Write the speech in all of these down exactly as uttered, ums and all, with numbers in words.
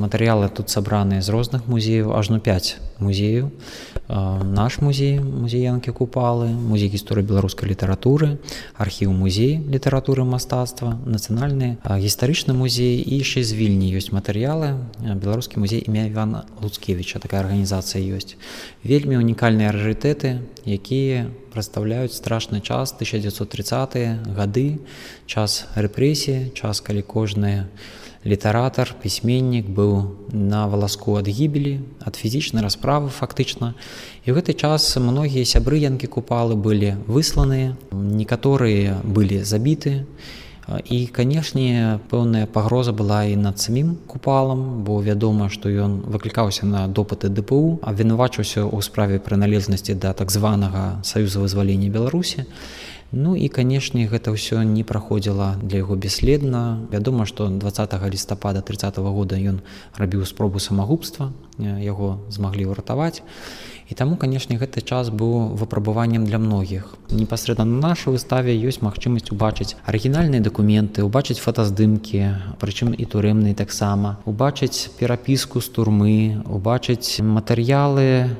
Матэрыялы тут сабраныя з розных музеяў, ажно пяць музеяў. Наш музей, музей Янкі Купалы, музей гісторыі беларускай літаратуры, архіў музей літаратуры мастацтва, нацыянальны гістарычны музей і яшчэ з Вільні ёсць матэрыялы. Беларускі музей імя Івана Луцкевіча, такая арганізацыя ёсць. Вельмі унікальныя рарытэты, якія прадстаўляюць страшны час, тысяча дзевяцьсот трыццатыя гады, час рэпрэсіі, час, калі кожны літаратар, пісьменнік быў на валаску ад гібелі, ад фізічнай расправы фактычна. І ў гэты час многія сябры Янкі Купалы былі высланыя, некаторыя былі забіты. І, канешне, пэўная пагроза была і над самім Купалам, бо вядома, што ён выклікаўся на допыты дэ пэ у, абвінавачваўся ў справе прыналежнасці да так званага Саюза вызвалення Беларусі. Ну і, канешне, гэта ўсё не праходзіла для яго бесследна. Вядома, што дваццатага лістапада трыццатага года ён рабіў спробу самагубства, яго змаглі ўратаваць. І таму, канешне, гэты час быў выпрабаваннем для многіх. Непасрэдна на нашай выставе ёсць магчымасць убачыць арыгінальныя дакументы, убачыць фотаздымкі, прычым і турэмныя таксама, убачыць перапіску з турмы, убачыць матэрыялы,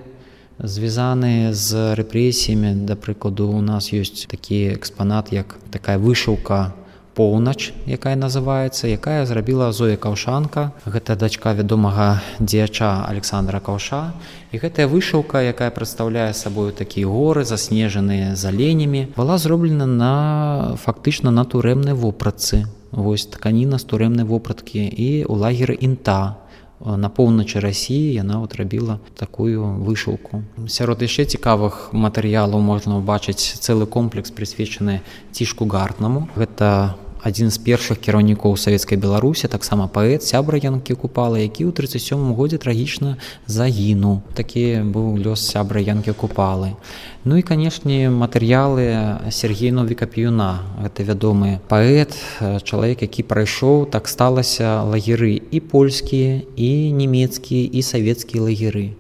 звязаныя з рэпрэсіямі. Да прыкладу, у нас ёсць такі экспанат, як такая вышыўка «Поўнач», якая называецца, якая зрабіла Зоя Каўшанка. Гэта дачка вядомага дзеяча Александра Каўша. І гэтая вышыўка, якая прадстаўляе сабою такія горы, заснежаныя з аленямі, была зроблена на фактычна на турэмнай вопратцы. Вось тканіна з турэмнай вопраткі і ў лагеры Інта. На поўначы Расіі яна от рабіла такую вышыўку. Сярод яшчэ цікавых матэрыялаў можна ўбачыць цэлы комплекс, прысвечаны Цішку Гартнаму. Гэта адзін з першых кіраўнікоў савецкай Беларусі, таксама паэт, сябра Янкі Купалы, які ў трыццаць сёмым годзе трагічна загінуў. Такі быў лёс сябра Янкі Купалы. Ну і, канешне, матэрыялы Сергея Новіка Піюна. Гэта вядомы паэт, чалавек, які прайшоў, так сталася, лагеры і польскія, і нямецкія, і савецкія лагеры.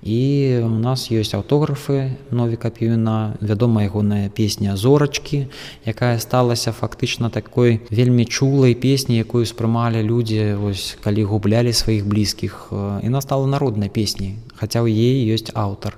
І у нас ёсць аўтографы Новіка Піюна, вядомая ягоная песня «Зорачкі», якая сталася фактычна такой вельмі чулай песняй, якую спрымалі людзі, вось, калі гублялі сваіх блізкіх. Яна стала народнай песняй, хаця ў яе ёсць аўтар.